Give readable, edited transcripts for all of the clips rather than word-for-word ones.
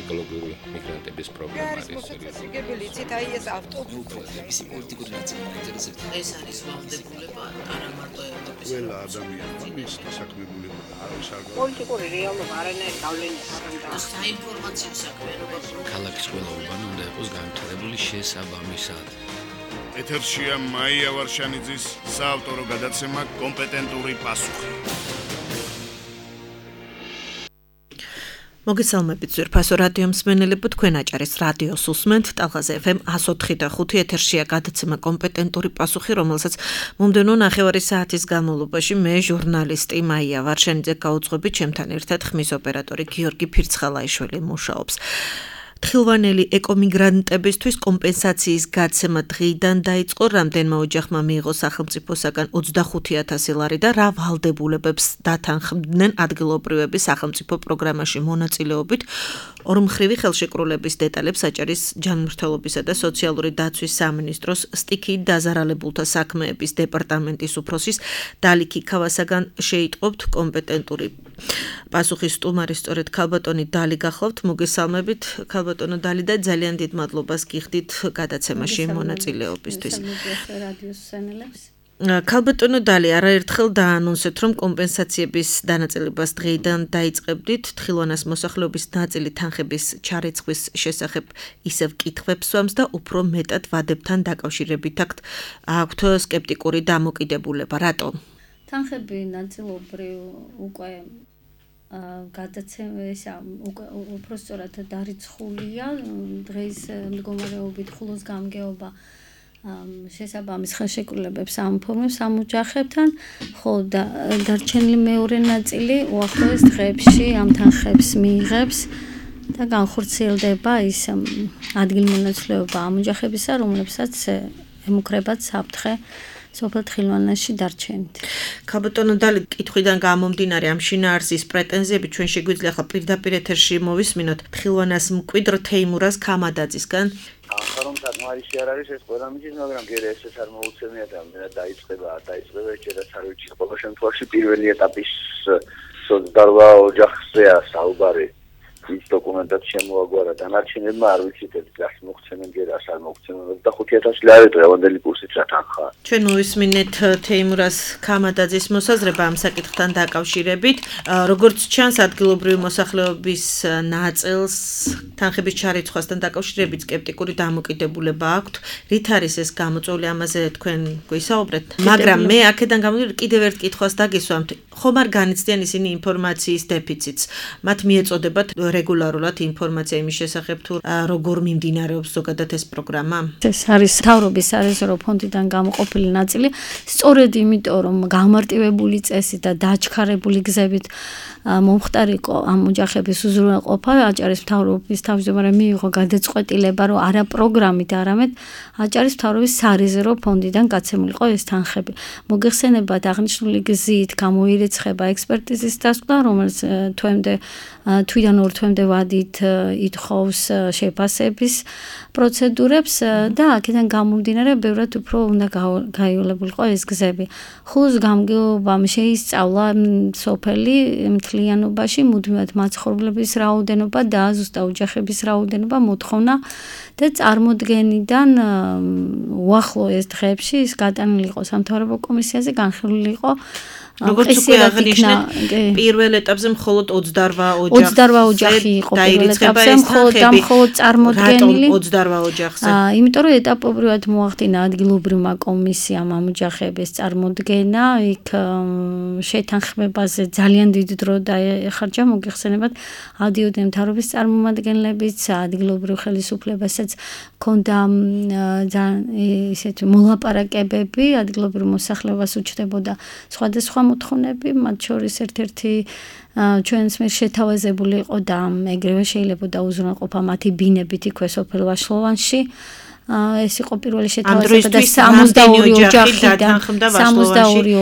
ეკოლოგიური მიგრანტების პრობლემა არის. მოციქებელიცით აი ეს ავტობუსი პოლიტიკური ნაწილი ინტერესებს. ეს არის ვალდებულება არა მარტო ევროპის. ყველა ადამიანმა მისთა საქმებულება არის არ პოლიტიკური რეალობა არანაირ გავლენას არ აქვს. საინფორმაციო საქმიანობა ქალაქის ყველა უბანი უნდა იყოს განვითარებული შესაბამისად. ეთერშია მაია ვარშანიძის საავტორო გადაცემა კომპეტენტური პასუხი. მოგესალმებით ძვირფასო რადიო მსმენელებო, თქვენ აჭარის რადიოს უსმენთ ტალღაზე FM 104.5 ეთერშია გადაცემა კომპეტენტური პასუხი, რომელსაც მომდევნო ნახევარი საათის განმავლობაში მე ჟურნალისტი მაია ვარშანიძე გაუძღვებით, ჩემთან ერთად ხმის ოპერატორი გიორგი ფირცხალაიშვილი მუშაობს. თხილვანელი ეკომიგრანტებისთვის კომპენსაციის გაცემა დღიდან დაიწყო, რამდენმა ოჯახმა მიიღო სახელმწიფოსაგან 25,000 ლარი და რა ვალდებულებებს დათანხმდნენ ადგილობრივების სახელმწიფო პროგრამაში მონაწილეობით. ორმხრივი ხელშეკრულების დეტალებს აჭარის ჯანმრთელობისა და სოციალური დაცვის სამინისტროს სტიქიით დაზარალებულთა საქმეების დეპარტამენტის უფროსის დალიქი ქავასაგან შეიტყობთ. კომპეტენტური პასუხის სტუმარი სწორედ ქალბატონი დალი გახლავთ. მოგესალმებით ქალბატონო დალი და ძალიან დიდ მადლობას გიხდით გადაცემაში მონაწილეობისთვის. ქალბატონო დალი, არაერთხელ დაანონსეთ, რომ კომპენსაციების დანაწილებას დღეიდან დაიწყებდით. თხილვანას მოსახლეობის ნაწილი თანხების ჩარიცხვის შესახებ ისევ კითხვებს ვამს და უფრო მეტად ვადებთან დაკავშირებით აქვთ სკეპტიკური დამოკიდებულება. რატო? თანხები ნაწილობრივ უკვე გადაცემისა უფრო სწორად დარიცხულია. დღეს მდგომარეობით ხულოს გამგეობა შესაბამის ხელშეკრულებებს ამფორმებს ამ ოჯახებთან, ხოლო დარჩენილი მეორე ნაწილი უახლოეს დღეებში ამ თანხებს მიიღებს და განხორციელდება ის ადგილმონაცვლეობა ამ ოჯახებისა, რომლებსაც ემუქრებათ საფრთხე სოფელ თხილვანაში დარჩენით. ქალბატონო დალი, კითხვიდან გამომდინარე ამ შინაარსის პრეტენზიები ჩვენ შეგვიძლია ახლა პირდაპირ ეთერში მოვისმინოთ თხილვანას მკვიდრ თეიმურას ქამადაძისგან. რომ საკმარისი არ არის ეს ყველა მის, მაგრამ გერა ეს არ მოუცემია და დაიწყება ეჭერას არ ვიცი, ყოველ შემთხვევაში პირველი ეტაპის სოციალურ ოჯახზეა საუბარი. ის დოკუმენტად შემოაგვარა დანარჩენებმა არ ვიცით ეს მოგცემენ გერას არ მოგცემენ 25,000 ლარი დღევანდელი კურსით რა თანხაა. ჩვენ მოვისმინეთ თეიმურას ქამადაძის მოსაზრება ამ საკითხთან დაკავშირებით. როგორც ჩანს, ადგილობრივი მოსახლეობის ნაწილს თანხების ჩარიცხვასთან დაკავშირებით სკეპტიკური დამოკიდებულება აქვთ. რით არის ეს გამოწვეული, ამაზე თქვენ გვისაუბრეთ? მაგრამ მე აქედან გამომდინარე კიდევ ერთ კითხვას დაგისვამთ. ხომ არ განიცდიან ისინი ინფორმაციის დეფიციტს? მათ მიეწოდებათ რეგულარულად ინფორმაცია იმის შესახებ თუ როგორ მიმდინარეობს ზოგადად ეს პროგრამა? ეს არის მთავრობის სარეზერვო ფონდიდან გამოყოფილი ნაწილი, სწორედ იმიტომ რომ გამარტივებული წესით და დაჩქარებული გზებით მომხდარი იყო ამ ოჯახების უზრუნველყოფა, აჭარის მთავრობის თავმჯდომარე მიიღო გადაწყვეტილება, რომ არა პროგრამით, არამედ აჭარის მთავრობის სარეზერვო ფონდიდან გაცემულიყო ეს თანხები. მოგეხსენებათ, აღნიშნული გზით გამოირიცხება ექსპერტიზის დასკვნა, რომელიც თვიდან 2 თვემდე ვადით ითხოვს შეფასების პროცედურებს და აქედან გამომდინარე ბევრად უფრო უნდა გაიოლებულიყო ეს გზები. ხულოს გამგეობამ შეისწავლა სოფელი მთლიანობაში მუდმივად მაცხოვრებლების რაოდენობა და ზუსტად ოჯახების რაოდენობა მოთხოვნა და წარმოდგენიდან უახლოეს დღეებში ის გატანილი იყო სამთავრობო კომისიაზე, განხილული იყო. როგორც უკვე აღნიშნეთ, პირველ ეტაპზე მხოლოდ 28 ოჯახი იყო პირველ ეტაპზე, მხოლოდ წარმოდგენილი. 28 ოჯახზე. იმიტომ რომ ეტაპობრივად მოახდინა ადგილობრივმა კომისიამ ამ ოჯახების წარმოდგენა, იქ შეთანხმებაზე ძალიან დიდი დრო დაეხარჯა, მოგეხსენებათ, ადიოდნენ მთავრობის წარმომადგენლებიც, ადგილობრივ ხელისუფლებასაც ქონდა ისეთი მოლაპარაკებები, ადგილობრივ მოსახლეობას უჩნდებოდა სხვადასხვა მოთხოვნები, მათ შორის ერთ-ერთი ჩვენს მიერ შეთავაზებული იყო და ეგრევე შეიძლებოდა უზრუნველყოფა მათი ბინებით იქვე სოფელ ვაშლოვანში. ეს იყო პირველი შეთავაზება და 62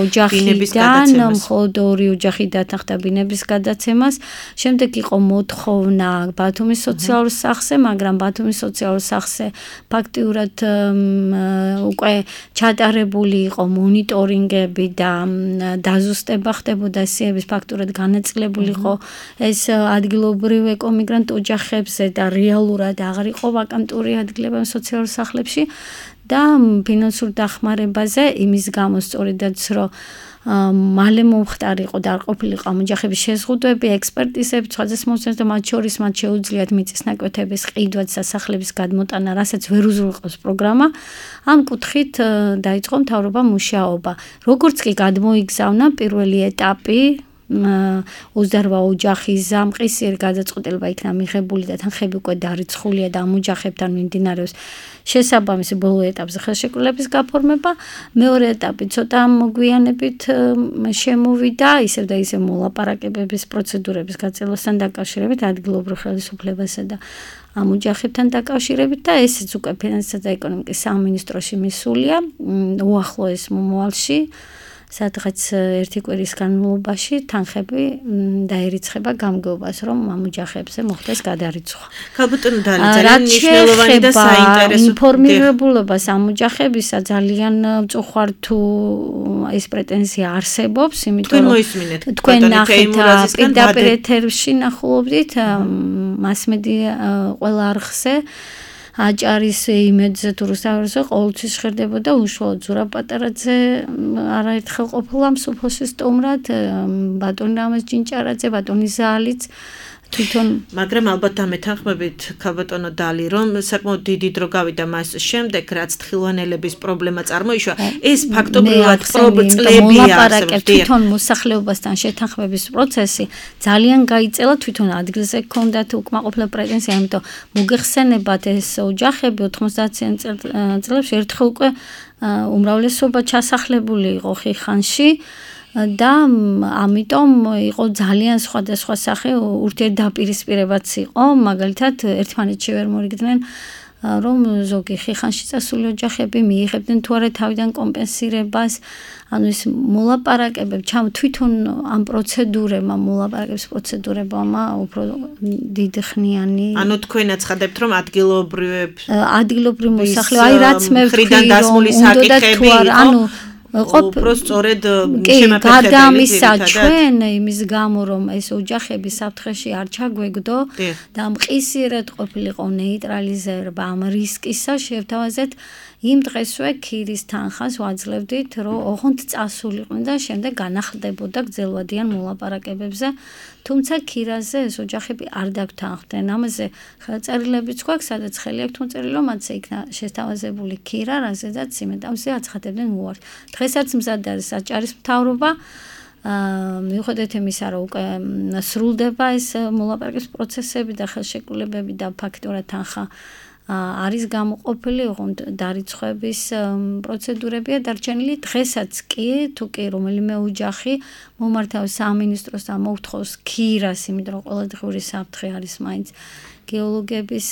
ოჯახიდან მხოლოდ 2 ოჯახი დათანხმდა ბინების გადაცემას. შემდეგ იყო მოთხოვნა ბათუმის სოციალურ სახლზე, მაგრამ ბათუმის სოციალურ სახლზე ფაქტიურად უკვე ჩატარებული იყო მონიტორინგები და დაზუსტება ხდებოდა სიების ფაქტურად განაწილებული იყო ეს ადგილობრივ ეკომიგრანტ ოჯახებზე და რეალურად აღარ იყო ვაკანტური ადგილები სოციალურ სახლებში და ფინანსურ დახმარებაზე იმის გამო სწორედაც რომ მალე მომხდარი იყო და არ ყოფილიყო ამ ოჯახების შეზღუდვები, ექსპერტიზები, სხვადასხვა მოსწრებს და მათ შორის მათ შეუძლიათ მიწის ნაკვეთების ყიდვაც და სახლების გადმოტანა, რასაც ვერ უზრუნველყოფს პროგრამა. ამ კუთხით დაიწყო მთავრობა მუშაობა. როგორც კი გადმოიგზავნა პირველი ეტაპი 28 ოჯახის ზამყისიერ გადაწყვეტილება იქნა მიღებული და თანხები უკვე დარიცხულია და ამ ოჯახებთან მიმდინარეობს შესაბამისი ბოლო ეტაპზე ხელშეკრულების გაფორმება. მეორე ეტაპი ცოტა მოგვიანებით შემოვიდა ისევ და ისევ მოლაპარაკებების პროცედურების გაწევასთან დაკავშირებით ადგილობრივ ხელისუფლებასა და ამ ოჯახებთან დაკავშირებით და ესეც უკვე ფინანსისა და ეკონომიკის სამინისტროში მისულია უახლოეს მომავალში. სადღაც ერთი კვირის განმავლობაში თანხები დაერიცხება გამგეობას, რომ ამ ოჯახებზე მოხდეს გადარიცხვა. ქალბატონო დალი, ძალიან მნიშვნელოვანი და საინტერესო ინფორმირებულობას ამ ოჯახებისა ძალიან მწუხვარ თუ ეს პრეტენზია არსებობს, იმიტომ რომ თქვენ ნახეთ პირდაპირ ეთერში ნახულობდით მასმედია ყველა არხზე აჭარის იმედზე თუ რუსთაველზე ყოველთვის ჟღერდებოდა უშუალოდ ზურაბ პატარაძე არაერთხელ ყოფილა მსოფლოში სტუმრად, ბატონი რამაზ ჯინჭარაძე, ბატონი ზალიც თვითონ მაგრამ ალბათ ამეთანხმებით ქალბატონო დალი რომ საკმაოდ დიდი დრო გავიდა მას შემდეგ რაც თხილვანელების პრობლემა წარმოიშვა ეს ფაქტობრივად პრობლემებია თვითონ მოსახლეობასთან შეთანხმების პროცესი ძალიან გაიწელა თვითონ ადგილზე ჰქონდათ უკმაყოფილება პრეტენზია ამიტომ მოგეხსენებათ ეს ოჯახები 90-იან წლებში ერთხელ უკვე უმრავლესობა ჩასახლებული იყო ხიხანში და ამიტომ იყო ძალიან სხვადასხვა სახე ურთიერთდაპირისპირებაც იყო მაგალითად ერთმანეთში ვერ მორიგდნენ რომ ზოგი ხიხანში წასული ოჯახები მიიღებდნენ თუ არა თავიდან კომპენსირებას ანუ ეს მოლაპარაკებები თვითონ ამ პროცედურებმა მოლაპარაკების პროცედურებმა უფრო დიდხნიანი ანუ თქვენაც ხდებთ რომ ადგილობრივ მოსახლეობა აი რაც მე ვთქვი რომ ანუ უფრო სწორედ გარდა ამისა ჩვენ იმის გამო რომ ეს ოჯახები საფრთხეში არ ჩაგვეგდო და მყისიერად ყოფილიყო ნეიტრალიზება ამ რისკისა შევთავაზეთ იმ დღესვე ქირის თანხას ვაძლევდით რომ ოღონდ წასულიყვნენ და შემდეგ განახლდებოდა გრძელვადიან მოლაპარაკებებზე თუმცა ქირაზე ეს ოჯახები არ დაგთანხმდნენ ამაზე ხელწერილებიც გვაქვს სადაც ხელი აქვთ მოწერილი რომ მათზე იქნა შესთავაზებული ქირა რაზედაც იმედავზე აცხადებდნენ უარს დღესაც მზად არის აჭარის მთავრობა მიუხედავად იმისა რომ უკვე სრულდება ეს მოლაპარაკების პროცესები და ხელშეკრულებები და ფაქტობრივად თანხა არის გამოყოფილი ოღონდ დარიცხვების პროცედურებია დარჩენილი დღესაც კი თუ კი რომელიმე ოჯახი მომართავს სამინისტროს და მოითხოვს ქირას იმიტომ რომ ყოველდღიური საფრთხე არის მაინც გეოლოგების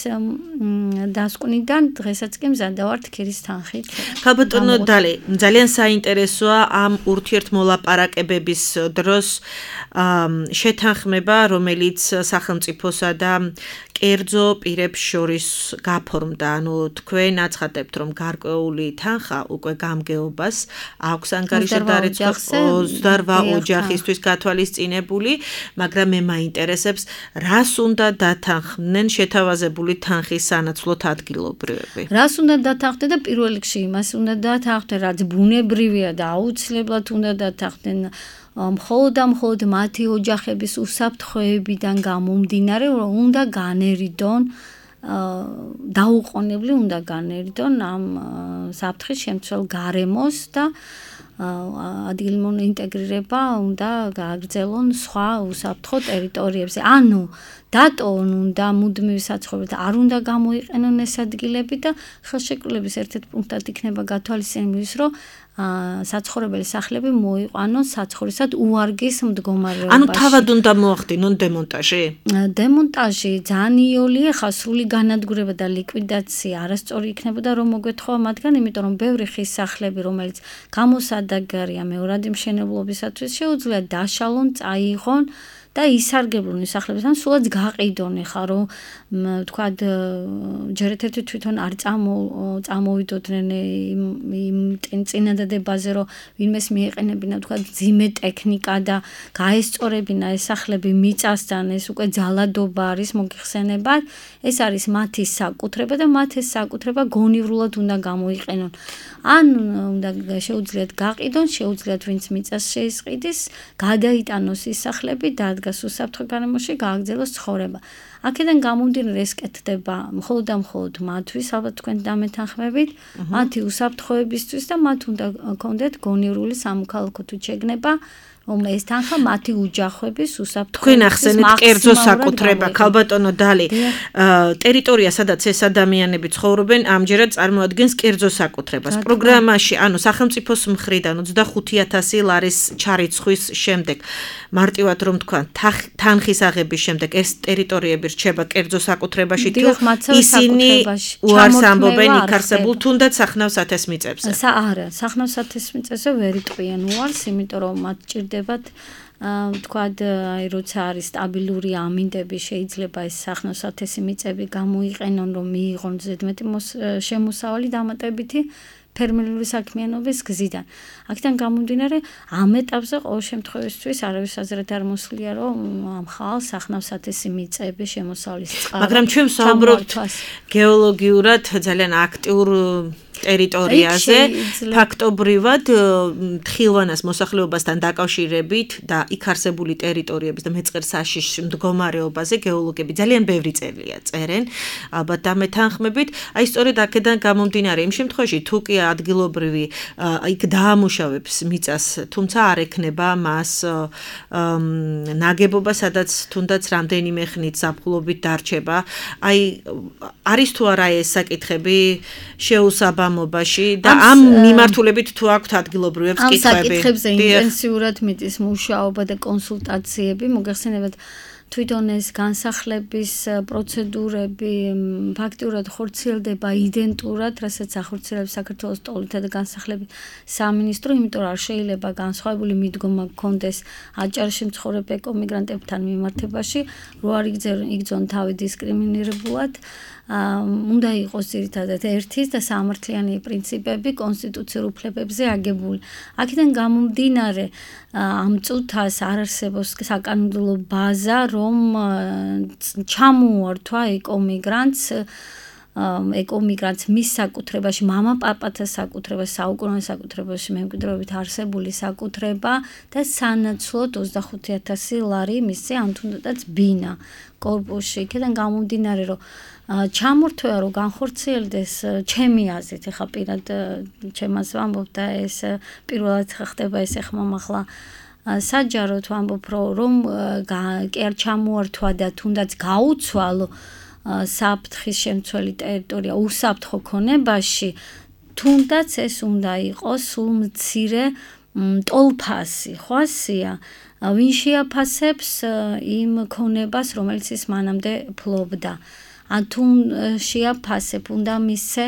დასკვნიდან დღესაც კი მზად ვართ ქირის თანხით. ქალბატონო დალი, ძალიან საინტერესოა ამ ურთიერთმოლაპარაკებების დროს შეთანხმება, რომელიც სახელმწიფოსა და კერძო პირებს შორის გაფორმდა. ანუ თქვენ აცხადებთ, რომ გარკვეული თანხა უკვე გამგეობას აქვს ანგარიშზე დარიცხვა 28 ოჯახისთვის გათვალისწინებული, მაგრამ მე მაინტერესებს, რას უნდა დათანხმდნენ შეთავაზებული თანხის სანაცვლოდ ადგილობრივები. რას უნდა დათანხმდნენ და პირველ რიგში იმას უნდა დათანხმდნენ, რაც ბუნებრივია და აუცილებლად უნდა დათანხმდნენ მხოლოდ მათი ოჯახების უსაფრთხოებიდან გამომდინარე, რომ უნდა განერიდონ დაუყოვნებლი უნდა განერიდონ ამ საფრთხის შემცველ გარემოს და ადგილმონტეგრირება უნდა გააგრძელონ სხვა უსაფრთხო ტერიტორიებზე. ანუ დატოვონ უნდა მუდმივი საცხოვრებელი და არ უნდა გამოიყენონ ეს ადგილები და ხელშეკრულების ერთ-ერთ პუნქტად იქნება გათვალისწინებული ის, რომ საცხოვრებელი სახლები მოიყვანონ საცხოვრისად უარგის მდგომარეობაში. ანუ თავად უნდა მოახდინონ დემონტაჟი? დემონტაჟი ძალიან იოლია, ხა სრული განადგურება და ლიკვიდაცია არასწორი იქნებოდა რომ მოგვეთხოვა მათგან, იმიტომ რომ ბევრი ხის სახლები, რომელიც გამოსადეგარია მეორადი მშენებლობისათვის, შეუძლია დაშალონ, წაიღონ და ისარგებლონ ის სახლებიდან სულაც გაყიდონ ხა რომ თქვა ჯერ ერთ-ერთი თვითონ არ წამოვიდოდნენ იმ წინადადებაზე რომ ვინმეს მიეყენებინა თქვა ძიმე ტექნიკა და გაესწორებინა ეს სახლები მიწასთან ეს უკვე ძალადობა არის მოგიხსენებათ ეს არის მათი საკუთრება და მათ ეს საკუთრება გონივრულად უნდა გამოიყენონ ან უნდა შეუძლიათ გაყიდონ შეუძლიათ ვინც მიწას შეისყიდის გადაიტანოს ის სახლები და უსაფრთხო გარემოში გააგრძელოს ცხოვრება. აქედან გამომდინარე ეს კეთდება მხოლოდ და მხოლოდ მათთვის, ალბათ თქვენ დამეთანხმებით, მათი უსაფრთხოებისთვის და მათ უნდა კონდეთ გონივრული სამოქალაქო თუ შეგნება, ეს თანხა მათი უჯახების უსაფრთხოების თქვენ ახსენეთ კერძო საკუთრება, ქალბატონო დალი, ტერიტორია, სადაც ეს ადამიანები ცხოვრობენ, ამჯერად წარმოადგენს კერძო საკუთრებას. პროგრამაში, ანუ სახელმწიფოს მხრიდან 25,000 ლარის ჩარიცხვის შემდეგ, მარტივად რომ თქვა, თანხის აღების შემდეგ ეს ტერიტორიები რჩება კერძო საკუთრებაში თუ ისინი უარს ამბობენ იქ არსებულ თუნდაც სახნავ სათესმიწებზე. არა, სახნავ სათესმიწებზე ვერ იტყვიან უარს, იმიტომ რომ მათ ჭირდებათ თქვად აი როცა არის სტაბილური ამინდები შეიძლება ეს სახნავ სათესი მიწები გამოიყენონ რომ მიიღონ ზედმეტი შემოსავალი დამატებითი ფერმერული საქმიანობის გზიდან. აქედან გამომდინარე ამ ეტაპზე ყოველ შემთხვევაში არავის აზრით არ მოსვლია რომ ამ ხალხს სახნავ სათესი მიწები შემოსავლის წყარო. მაგრამ ჩვენ ვსაუბრობთ გეოლოგიურად ძალიან აქტიურ ტერიტორიაზე ფაქტობრივად თხილვანას მოსახლეობასთან დაკავშირებით და იქ არსებული ტერიტორიების და მეწყერსაშიშ მდგომარეობაზე გეოლოგები ძალიან ბევრი წერია წერენ ალბათ დამეთანხმებით აი სწორედ აქედან გამომდინარე იმ შემთხვევაში თუ კი ადგილობრივი იქ დაამუშავებს მიწას თუმცა არ ექნება მას ნაგებობა სადაც თუნდაც რამდენიმე ხნით ზაფხულობით დარჩება აი არის თუ არა ეს საკითხები შეუსაბამობაში და ამ მიმართულებით თუ აქვთ ადგილობრივებს კითხვები. ამ საკითხებზე ინტენსიურად მიდის მუშაობა და კონსულტაციები, მოგეხსენებათ თვითონ ეს განსახლების პროცედურები ფაქტიურად ხორციელდება იდენტურად, რასაც ახორციელებს საქართველოს ტოლთა და განსახლების სამინისტრო, იმიტომ რომ არ შეიძლება განსხვავებული მიდგომა გქონდეს აჭარაში მცხოვრებ ეკომიგრანტებთან მიმართებაში, რო არ იგრძონ თავი დისკრიმინირებულად. უნდა იყოს ძირითადად ერთის და სამართლიანი პრინციპები კონსტიტუციურ უფლებებზე აგებული. აქედან გამომდინარე ამ წუთას არ არსებობს საკანონმდებლო ბაზა, რომ ჩამოართვა ეკომიგრანტს მის საკუთრებაში, მამა-პაპათა საკუთრება, საუკუნოვან საკუთრებაში მემკვიდრეობით არსებული საკუთრება და სანაცვლოდ 25,000 ლარი მისცე ამ თუნდაც ბინა კორპუსში. იქედან გამომდინარე რომ ჩამორთვეა რომ განხორციელდეს ჩემი აზრით, ეხა პირად ჩემას ვამბობ და ეს პირველად ხდება ეს ეხმამახლა საჯაროდ ვამბობ რომ კი არ ჩამოართვა და თუნდაც გაუცვალო საფრთხის შემცველი ტერიტორია უსაფრთხო ქონებაში, თუნდაც ეს უნდა იყოს სულ მცირე ტოლფასი, ხო ასია, ვინ შეაფასებს იმ ქონებას, რომელიც ის მანამდე ფლობდა. თუ შეაფასებ უნდა მისცე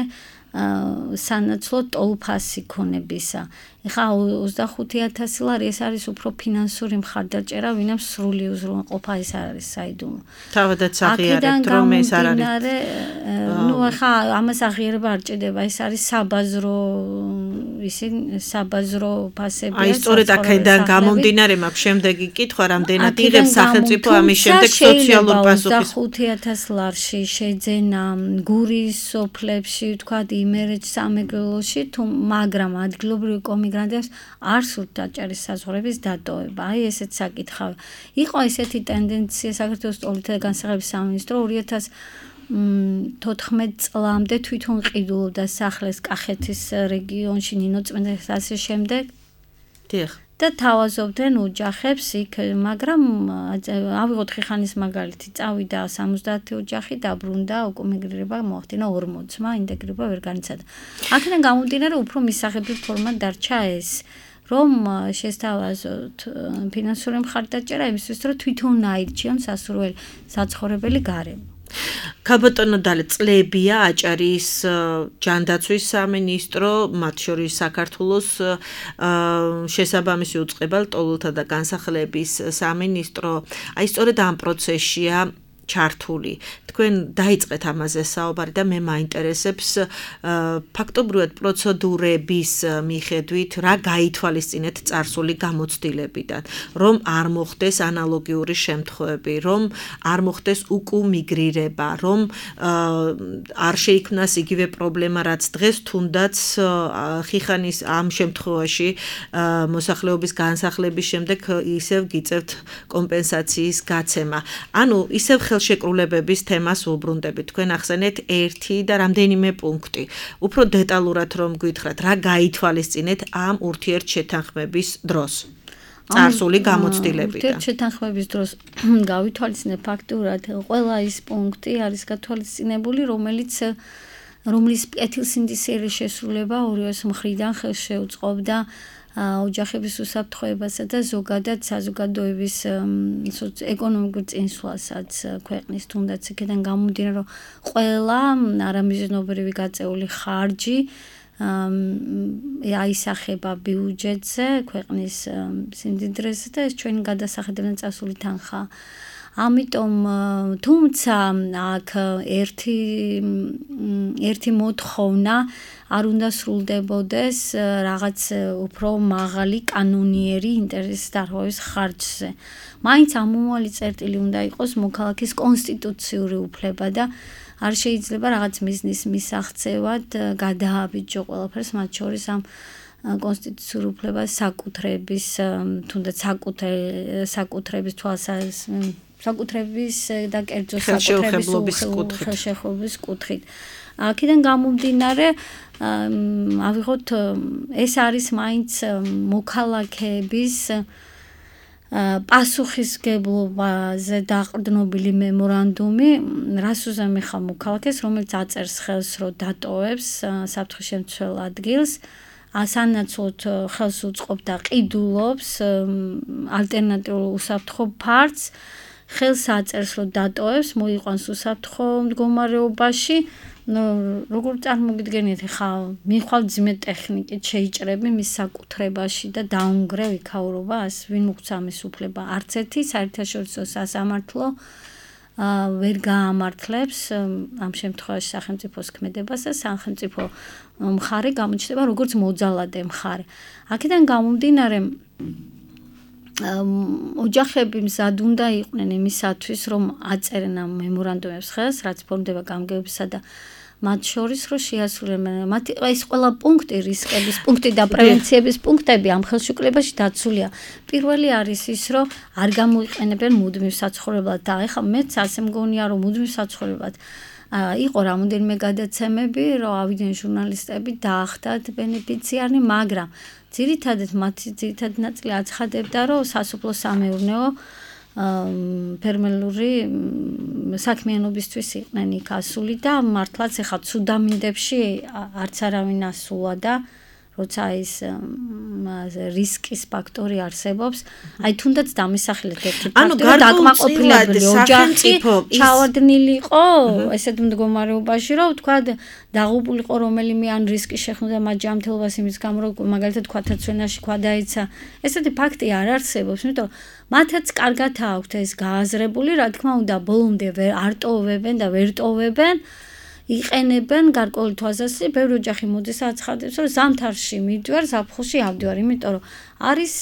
სანაცვლოდ ტოლფასი ქონებისა. ეხლა 25,000 ლარი ეს არის უფრო ფინანსური მხარდაჭერა, ვინმე სრული უზრუნველყოფა ეს არ არის საიდუმლო. თავადაც აღიარებთ რომ ეს არ არის. ნუ ეხლა ამას აღიარება არ ჭირდება, ეს არის საბაზრო ფასები. აი სწორედ აქედან გამომდინარე მაქვს შემდეგი კითხვა, რამდენად იღებს სახელმწიფო ამის შემდეგ სოციალურ პასუხის 25,000 ლარში შეძენა გურის სოფლებში, თქვათ იმერეთს სამეგრელოში, მაგრამ ადგილობრივი კომიგრანტებს არ სურთ აჭარის საზღვრების დატოვება. აი ესეც საკითხავი. იყო ესეთი ტენდენცია საქართველოს ტოლთა და განსახლების სამინისტრო 2014 წლამდე თვითონ ყიდულობდა სახლებს კახეთის რეგიონში, ნინოწმინდის ასე შემდეგ. და თავაზობდნენ ოჯახებს იქ, მაგრამ ავიღოთ ხიხანის მაგალითი, წავიდა 70 ოჯახი, დაბრუნდა, უკვე მიგრირება მოახდინა 40-მა, ინტეგრირება ვერ განიცადა. აქედან გამომდინარე, უფრო მისაღებრივ ფორმად დარჩა ეს, რომ შესთავაზოთ ფინანსური მხარდაჭერა იმისთვის, რომ თვითონ აირჩიონ სასურველი საცხოვრებელი გარემო. ქალბატონო დალე წლებია აჭარის ჯანდაცვის სამინისტრო, მათ შორის საქართველოს შესაბამისი უწყება ლტოლვილთა და განსახლების სამინისტრო. აი სწორედ ამ პროცესშია ჩართული. თქვენ დაიწყეთ ამაზე საუბარი და მე მაინტერესებს ფაქტობრივად პროცედურების მიხედვით რა გაითვალისწინეთ წარსული გამოცდილებიდან, რომ არ მოხდეს ანალოგიური შემთხვევები, რომ არ მოხდეს უკუმიგრირება, რომ არ შეიქმნას იგივე პრობლემა, რაც დღეს თუნდაც ხიხანის ამ შემთხვევაში მოსახლეობის განსახლების შემდეგ ისევ გიწევთ კომპენსაციის გაცემა. ანუ ისევ ხელშეკრულებების თემას ვუბრუნდებით. თქვენ ახსენეთ ერთი და რამდენიმე პუნქტი. უფრო დეტალურად რომ გითხრათ, რა გაითვალისწინეთ ამ ურთიერთშეთანხმების დროს? წარსული გამოცდილებიდან. ურთიერთშეთანხმების დროს გავითვალისწინეთ ფაქტურად ყველა ის პუნქტი არის გათვალისწინებული, რომლის კეთილსინდისიერი შესრულება ორივეს მხრიდან ხელს შეუწყობდა ოჯახების უსაფრთხოებასა და ზოგადად საზოგადოების ეკონომიკურ წინსვლასაც ქვეყნის, თუნდაც იქიდან გამომდინარე, რომ ყველა არამიზნობრივი გაწეული ხარჯი აისახება ბიუჯეტზე, ქვეყნის სიმდიდრეზე და ეს ჩვენი გადასახედიდან წასული თანხაა. ამიტომ თუმცა აქ ერთი მოთხოვნა არ უნდა სრულდებოდეს რაღაც უფრო მაღალი კანონიერი ინტერესის დარღვევის ხარჯზე. მაინც ამომავალი წერტილი უნდა იყოს მოქალაქის კონსტიტუციური უფლება და არ შეიძლება რაღაც მიზნის მისაღწევად გადააბიჯო ყველაფერს, მათ შორის ამ კონსტიტუციურ უფლებას საკუთრების, თუნდაც საკუთრების საკუთრების და კერძო ხელშეუხებლობის კუთხით. აქედან გამომდინარე, ავიღოთ, ეს არის მაინც მოქალაქეების პასუხისგებლობაზე დაყრდნობილი მემორანდუმი, რას უზამეხა მოქალაქეს, რომელიც აწერს ხელს, რომ დატოვებს საფრთხის შემცველ ადგილს, სანაცვლოდ ხელს უწყობს და ყიდულობს ალტერნატიულ უსაფრთხო ფართს, ხელს აწერს, რომ დატოვებს, მოიყვანს უსაფრთხო მდგომარეობაში. როგორ წარმოგიდგენიათ, ხა მიხვალ ძიმე ტექნიკით შეიჭრები მის საკუთრებაში და დაუნგრევ იქაურობას, ვინ უღწა მის უფლება? არც ერთი საერთაშორისო სასამართლო ვერ გაამართლებს ამ შემთხვევაში სახელმწიფოს ქმედებას და სახელმწიფო მხარე გამოჩნდება როგორც მოძალადე მხარე. აქედან გამომდინარე, ოჯახები მზად უნდა იყვნენ იმისათვის, რომ აწერენ ამ მემორანდუმებს ხელს, რაც ფორმდება გამგეობისა და მათ შორის რომ შეასრულებენ. ეს ყველა პუნქტი, რისკების პუნქტი და პრევენციების პუნქტები ამ ხელშეკრულებაში დაცულია. პირველი არის ის, რომ არ გამოიყენებენ მუდმივ საცხოვრებლად და ეხლა მეც ასე მგონია, რომ მუდმივ საცხოვრებლად იყო რამოდენიმე გადაცემები, რომ ავიდნენ ჟურნალისტები დაახდათ ბენეფიციარი, მაგრამ ძირითადად მათი ძირითადი ნაწილი აცხადებდა, რომ სასოფლო-სამეურნეო ფერმერული საქმიანობისთვის იყვნენ იქ ასული და მართლაც ეხლა ცუდამინდებში არც არავინ ასულა და როცა ის რისკის ფაქტორი არსებობს, აი თუნდაც დამისახილეთ ერთი ფაქტორი, დაკმაყოფილებელი ოჯახი ჩავარდნილი იყო ესეთ მდგომარეობაში, რომ თქვა დაღუპული იყო რომელიმე ან რისკი შეხვდა მათ ჯანმრთელობას იმის გამო, რომ მაგალითად ქვათაცვენაში ქვა დაეცა. ესეთი ფაქტი არ არსებობს, იმიტომ მათაც კარგად აქვთ ეს გააზრებული, რა თქმა უნდა, ბოლომდე არ ტოვებენ და ვერ ტოვებენ. იყენებენ გარკვეული თვალსაზრისით, ბევრი ოჯახი მოდის აცხადებს, რომ ზამთარში მივდივარ, ზაფხულში ავდივარ, იმიტომ რომ არის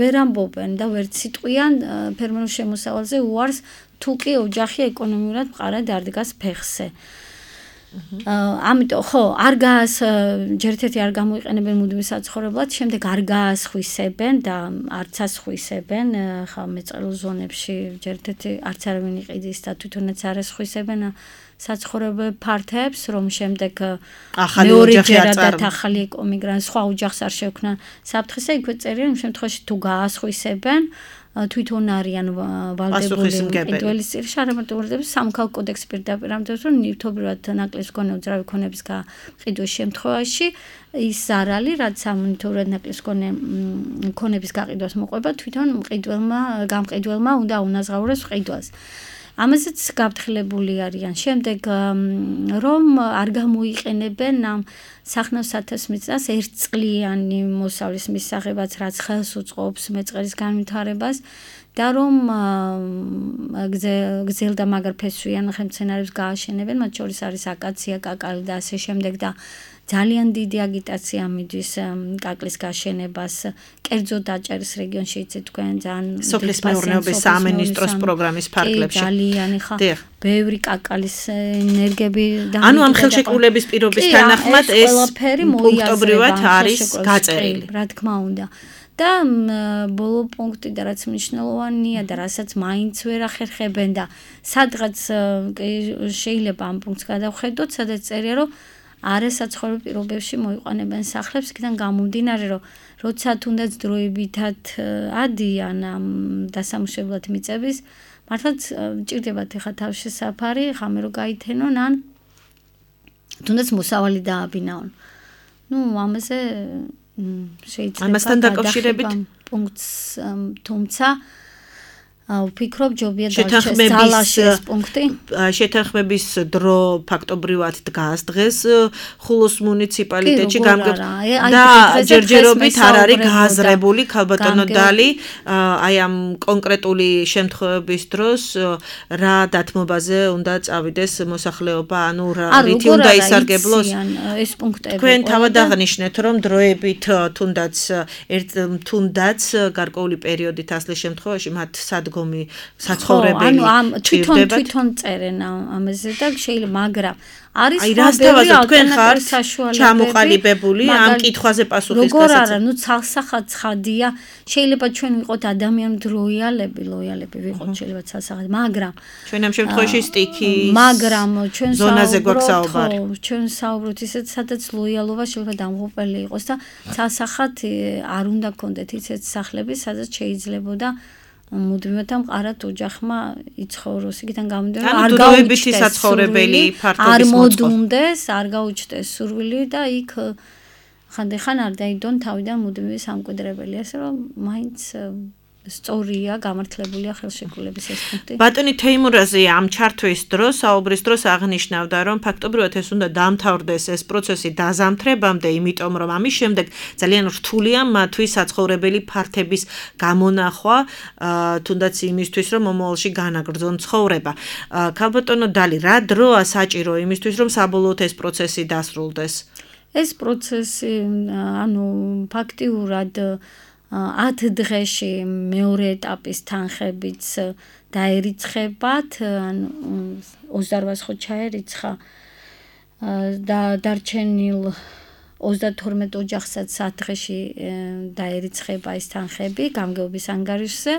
ვერ ამბობენ და ვერ ციტყვიან ფერმერულ შემოსავალზე უარს, თუ კი ოჯახი ეკონომიურად მყარად არ დგას ფეხზე. ამიტომ ხო, არ ჯერ-ერთი არ გამოიყენებენ მუდმივ საცხოვრებლად, შემდეგ არ გაასხვისებენ და არც ასხვისებენ, ხა მეწყერულ ზონებში ჯერ-ერთი არც არავინ იყიდის და თვითონაც არ ასხვისებენ საცხოვრებელ ფართებს, რომ შემდეგ მეორეჯერადად ახალი ეკომიგრანტ სხვა ოჯახს არ შეექმნან საფრთხისა, იქვე წერია იმ შემთხვევაში თუ გაასხვისებენ თვითონ არიან ვალდებული მყიდველის წინაშე არამარტო სამოქალაქო კოდექსი პირდაპირ ამბობს, რომ ნივთობრივად ნაკლის მქონე უძრავი ქონების გაყიდვის შემთხვევაში ის ზარალი, რაც სამნივთობრივად ნაკლის მქონე ქონების გაყიდვას მოყვება, თვითონ გამყიდველმა უნდა უნაზღაუროს ყიდვას. ამაზეც გაფრთხილებული არიან. შემდეგ რომ არ გამოიყენებენ ამ სახნავს ათასმიწას ერთწლიანი მოსავლის მისაღებაც, რაც ხელს უწყობს მეწყერის განვითარებას და რომ გზელ და მაგარ ფესვიან ხელმძენარეებს გააშენებენ, მათ შორის არის აკაცია, კაკალი და ასე შემდეგ და ძალიან დიდი აგიტაცია მიდის კაკლის გაშენებას, კერძო დაჭერის რეგიონში იცით თქვენ ძალიან სოფლის მეურნეობის სამინისტროს პროგრამის ფარგლებში. ძალიან ხა ბევრი კაკალის ენერგები და ანუ ამ ხელშეკრულების პირობის თანახმად ეს პუნქტობრივად არის გაწერილი. რა თქმა უნდა. და ბოლო პუნქტი და რაც მნიშვნელოვანია და რასაც მაინც ვერ ახერხებენ და სადღაც შეიძლება ამ პუნქტს გადავხედოთ, სადაც წერია რომ არასაცხოვრებელ პირობებში მოიყვანებენ სახლებს, იქიდან გამომდინარე, რომ როცა თუნდაც დროებითად ადიან ამ დასამუშავებლად მიწების, მართლაც ჭირდებათ ეხა თავშესაფარი, ხამე რო გაითენონ ან თუნდაც მოსავალი დააბინაონ. ამაზე შეიძლება ამასთან დაკავშირებით პუნქტს თუმცა ვფიქრობ ჯობია დაჩეს ეს პუნქტი. შეთანხმების დრო ფაქტობრივად დგას დღეს ხულოს მუნიციპალიტეტში და ჯერჯერობით არ არის გააზრებული ქალბატონო დალი აი ამ კონკრეტული შემთხვევების დროს რა დათმობაზე უნდა წავიდეს მოსახლეობა, ანუ რითი უნდა ისარგებლოს ეს პუნქტები. თქვენ თავად აღნიშნეთ, რომ დროებით თუნდაც გარკვეული პერიოდით ასლის შემთხვევაში მათ საცხოვრებელი თვითონ წერენ ამაზე და შეიძლება, მაგრამ არის ბევრი ალტერნატიული ჩამოყალიბებული ამ კითხვაზე პასუხის გასაცემად. როგორ არა, ცალსახად ცხადია, შეიძლება ჩვენ ვიყოთ ადამიანად ლოიალები ვიყოთ, შეიძლება ცალსახად, მაგრამ ჩვენ ამ შემთხვევაში სტიქის მაგრამ ჩვენ ზონაზე გვაქვს საუბარი. ჩვენ საუბრობთ ისეთ, სადაც ლოიალობა შეიძლება დამღუპელი იყოს და ცალსახად არ უნდა გქონდეთ ისეთ სახლები, სადაც შეიძლებოდა მუდმივად მყარად ოჯახმა იცხოვროს, იქიდან გამომდინარე არ გაუჩნდეს საცხოვრებელი ფართობის არ მოდუნდეს, არ გაუჩნდეს სურვილი და იქ ხანდახან არ დაიდონ თავიდან მუდმივი სამკვიდრებელი, ასე რომ მაინც სწორია, გამართლებულია ხელშეკრულების ეს პუნქტი. ბატონი თეიმურაზი ამ ჩართვის დროს, საუბრის დროს აღნიშნავდა, რომ ფაქტობრივად ეს უნდა დამთავრდეს ეს პროცესი დაზამთრებამდე, იმიტომ რომ ამის შემდეგ ძალიან რთულია მათთვის საცხოვრებელი ფართების გამონახვა, თუნდაც იმისთვის, რომ მომავალში განაგრძონ ცხოვრება. ქალბატონო დალი, რა დროა საჭირო იმისთვის, რომ საბოლოოდ ეს პროცესი დასრულდეს? ეს პროცესი, ანუ ფაქტიურად 10 დღეში მეორე ეტაპის თანხებიც დაერიცხებათ, ანუ 28 ხო ჩაერიცხა და დარჩენილ 32 ოჯახსაც 10 დღეში დაერიცხება ეს თანხები გამგეობის ანგარიშზე.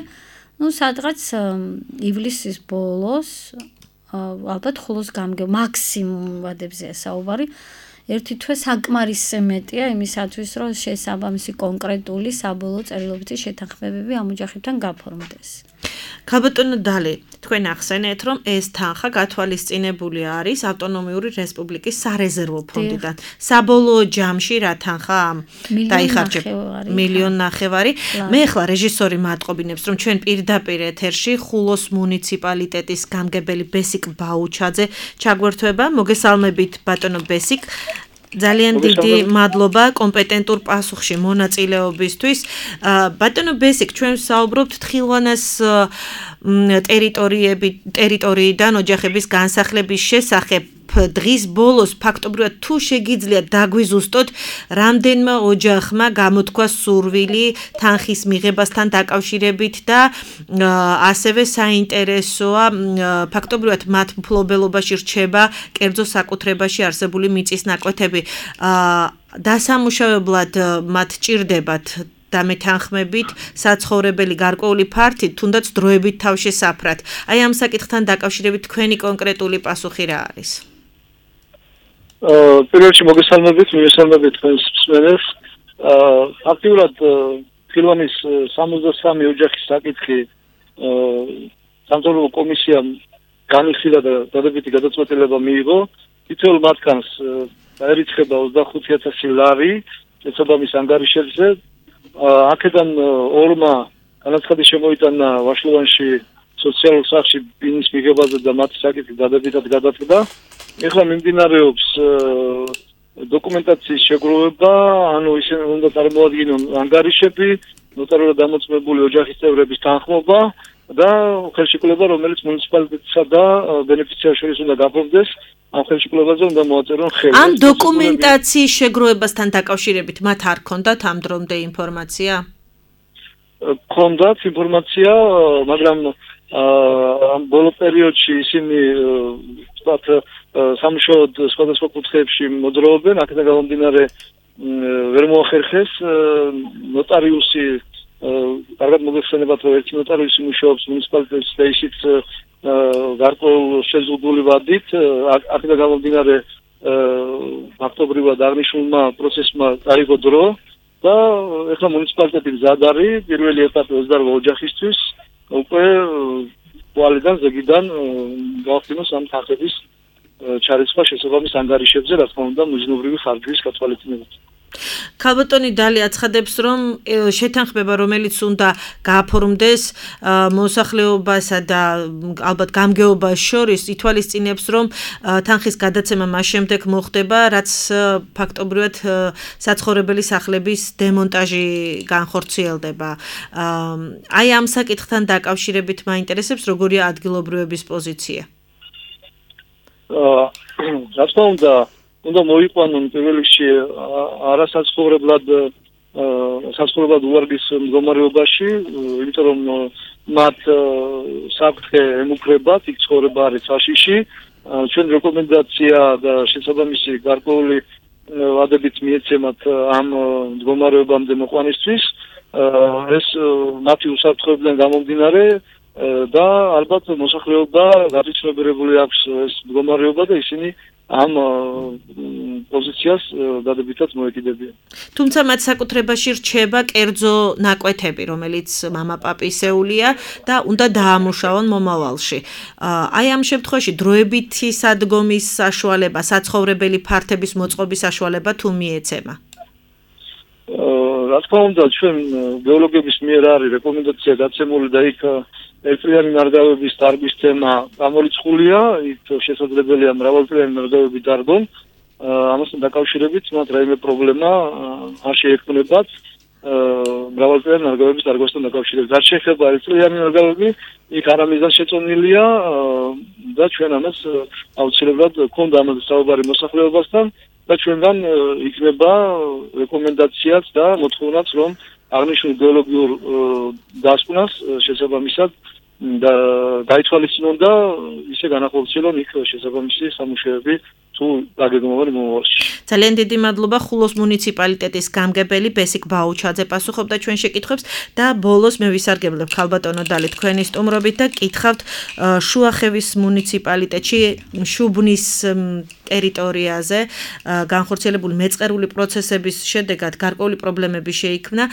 სადღაც ივლისის ბოლოს ალბათ ხულოს მაქსიმუმ ვადებზეა საუბარი. ერთი თვე საკმარისზე მეტია იმისათვის, რომ შესაბამისი კონკრეტული საბოლოო წერილობითი შეთანხმებები ამ ოჯახებთან გაფორმდეს. ქალბატონო დალი, თქვენ ახსენეთ, რომ ეს თანხა გათვალისწინებული არის ავტონომიური რესპუბლიკის სარეზერვო ფონდიდან. საბოლოო ჯამში რა თანხა დაიხარჯება? 1.5 მილიონი. მე ახლა რეჟისორი მატყობინებს, რომ ჩვენ პირდაპირ ეთერში ხულოს მუნიციპალიტეტის გამგებელი ბესიკ ბაუჩაძე ჩაგვერთვება. მოგესალმებით ბატონო ბესიკ. ძალიან დიდი მადლობა კომპეტენტურ პასუხში მონაწილეობისთვის. ბატონო ბესიკ, ჩვენ საუბრობთ თხილვანას ტერიტორიიდან ოჯახების განსახლების შესახებ. დღის ბოლოს ფაქტობრივად თუ შეგიძლიათ დაგვიზუსტოთ, რამდენმა ოჯახმა გამოთქვა სურვილი თანხის მიღებასთან დაკავშირებით და ასევე საინტერესოა ფაქტობრივად მათ მფლობელობაში რჩება კერძო საკუთრებაში არსებული მიწის ნაკვეთები. დასამუშავებლად მათ ჭირდებათ და მეთანხმებით საცხოვრებელი გარკვეული ფართით, თუნდაც დროებით თავშესაფრად. აი ამ საკითხთან დაკავშირებით თქვენი კონკრეტული პასუხი რა არის? პირველ რიგში მოგესალმებით თქვენს მსმენელს. აქტიურად ფილმის 63 ოჯახის საკითხი სამთავრობო კომისიამ განიხილა და დადებითი გადაწყვეტილება მიიღო. თითოეულ მათგანს დაერიცხება 25,000 ლარი შესაბამის ანგარიშებზე. აქედან ორმა განაცხადი შემოიტანა ვაშლოვანში სოციალურ სახლში ბინის მიღებაზე და მათი საკითხი დადებითად გადადგა. ეხლა მიმდინარეობს დოკუმენტაციის შეგროვება, ანუ ისინი უნდა წარმოადგინონ ანგარიშები, ნოტარიულად დამოწმებული ოჯახის წევრების თანხმობა და ხელშეკრულება, რომელიც მუნიციპალიტეტსა და ბენეფიციარს შორის უნდა გაფორმდეს. ამ ხელშეკრულებაზე უნდა მოაწერონ ხელი. ამ დოკუმენტაციის შეგროვებასთან დაკავშირებით მათ არ ქონდათ ამ დრომდე ინფორმაცია? ქონდათ ინფორმაცია, მაგრამ ამ ბოლო პერიოდში ისინი ვთქვათ სამუშაოდ სხვადასხვა კუთხეებში მოძრაობენ, აქედან გამომდინარე ვერ მოახერხეს ნოტარიუსი კარგად მოგეხსენებათ, რომ ერთი ნოტარიუსი მუშაობს მუნიციპალიტეტში და ისიც გარკვეულ შეზღუდული ვადით, აქედან გამომდინარე ფაქტობრივად აღნიშნულმა პროცესმა წაიღო დრო და ეხლა მუნიციპალიტეტი მზად არის პირველი ეტაპი 28 ოჯახისთვის უკვე კვალიდან ზეგიდან გავხსნოს ამ თანხების ჩარიცხვა შესაბამის ანგარიშებზე, რა თქმა უნდა, მიზნობრივი ხარჯვის გათვალისწინებით. ქალბატონი დალი აცხადებს, რომ შეთანხმება, რომელიც უნდა გააფორმდეს მოსახლეობასა და ალბათ გამგეობას შორის, ითვალისწინებს, რომ თანხის გადაცემა მას შემდეგ მოხდება, რაც ფაქტობრივად საცხოვრებელი სახლების დემონტაჟი განხორციელდება. აი ამ საკითხთან დაკავშირებით მაინტერესებს, როგორია ადგილობრივების პოზიცია? რა თქმა უნდა მოიყვანონ პირველ რიგში საცხოვრებლად უვარგის მდგომარეობაში, იმიტომ რომ მათ საფრთხე ემუქრებათ, იქ ცხოვრება არის საშიში. ჩვენ რეკომენდაცია და შესაბამისი გარკვეული ვადებით მიეცემათ ამ მდგომარეობამდე მოყვანისთვის. ეს მათი უსაფრთხოებიდან გამომდინარე და ალბათ მოსახლეობა გაწიცნობიერებული აქვს ეს მდგომარეობა და ისინი ამ პოზიციას დადებითად მოეკიდებიან. თუმცა მათ საკუთრებაში რჩება კერძო ნაკვეთები, რომელიც მამაპაპისეულია და უნდა დაამუშავონ მომავალში. აი ამ შემთხვევაში დროებითი სადგომის საშუალება, საცხოვრებელი ფართების მოწყობის საშუალება თუ მიეცემა? რა თქმა უნდა, ჩვენ გეოლოგების მიერ არის რეკომენდაცია გაცემული და იქ ერთწლიანი ნარგავების დარგვის თემა გამორიცხულია, იქ შესაძლებელია მრავალწლიანი ნარგავები დარგონ. ამასთან დაკავშირებით მათ რაიმე პრობლემა არ შეექმნებათ მრავალწლიანი ნარგავების დარგვასთან დაკავშირებით. რაც შეეხება ერთწლიანი ნარგავები, იქ არამიზან შეწონილია და ჩვენ ამას აუცილებლად გქონდა ამაზე საუბარი მოსახლეობასთან და ჩვენგან იქნება რეკომენდაციაც და მოთხოვნაც, რომ აღნიშნულ გეოლოგიურ დასკვნას შესაბამისად და გაითვალისწინონ და ისე განახორციელონ იქ შესაბამისი სამუშაოები თუ დაგეგმავენ მომავალში. ძალიან დიდი მადლობა. ხულოს მუნიციპალიტეტის გამგებელი ბესიკ ბაუჩაძე პასუხობდა ჩვენ შეკითხვებს და ბოლოს მე ვისარგებლებ ქალბატონო დალი თქვენი სტუმრობით და კითხავთ შუახევის მუნიციპალიტეტში შუბნის ტერიტორიაზე განხორციელებული მეწყერული პროცესების შედეგად გარკვეული პრობლემები შეიქმნა.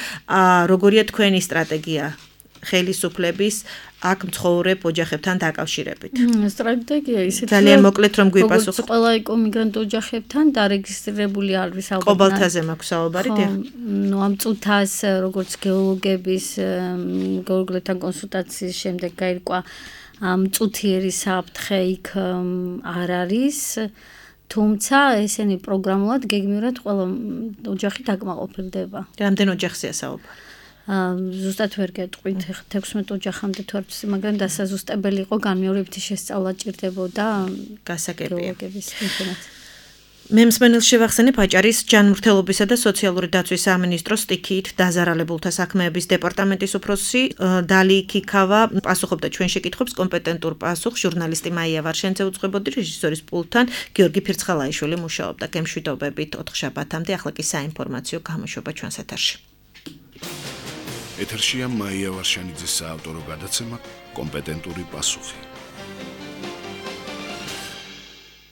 როგორია თქვენი სტრატეგია ხელისუფლების აქ მცხოვრებ ოჯახებთან დაკავშირებით? სტრატეგია ისეთი ძალიან მოკლედ რომ გვიპასუხოთ. როგორც ყველა ეკომიგრანტ ოჯახებთან დარეგისტრირებული არის ალბათ. ყობალთაზე მაქვს საუბარი, დიახ. ნუ ამ წუთას როგორც გეოლოგების გეოლოგებთან კონსულტაციის შემდეგ გაირკვა ამ წუთიერი საფრთხე იქ არ არის. თუმცა ესენი პროგრამულად გეგმიურად ყველა ოჯახი დაკმაყოფილდება. რამდენ ოჯახზეა საუბარი? ზუსტად ვერ გეტყვით 16 ოჯახამდე თუ არ ვიცი, მაგრამ დასაზუსტებელი იყო განმეორებითი შესწავლა ჭირდებოდა გასაგებია. გეოლოგების ინფორმაცია. მე მსმენელს შევახსენებ აჭარის ჯანმრთელობისა და სოციალური დაცვის სამინისტროს სტიქიით დაზარალებულთა საქმეების დეპარტამენტის უფროსი დალი ქიქავა პასუხობდა ჩვენ შეკითხვებს კომპეტენტურ პასუხს ჟურნალისტი მაია ვარშენცე უწყებოდი რეჟისორის პულტთან გიორგი ფირცხალაიშვილი მუშაობდა გემშვიდობებით 4 შაბათამდე ახლა კი საინფორმაციო გამოშვება ჩვენს ეთერში ეთერშია მაია ვარშენიძის საავტორო გადაცემა კომპეტენტური პასუხი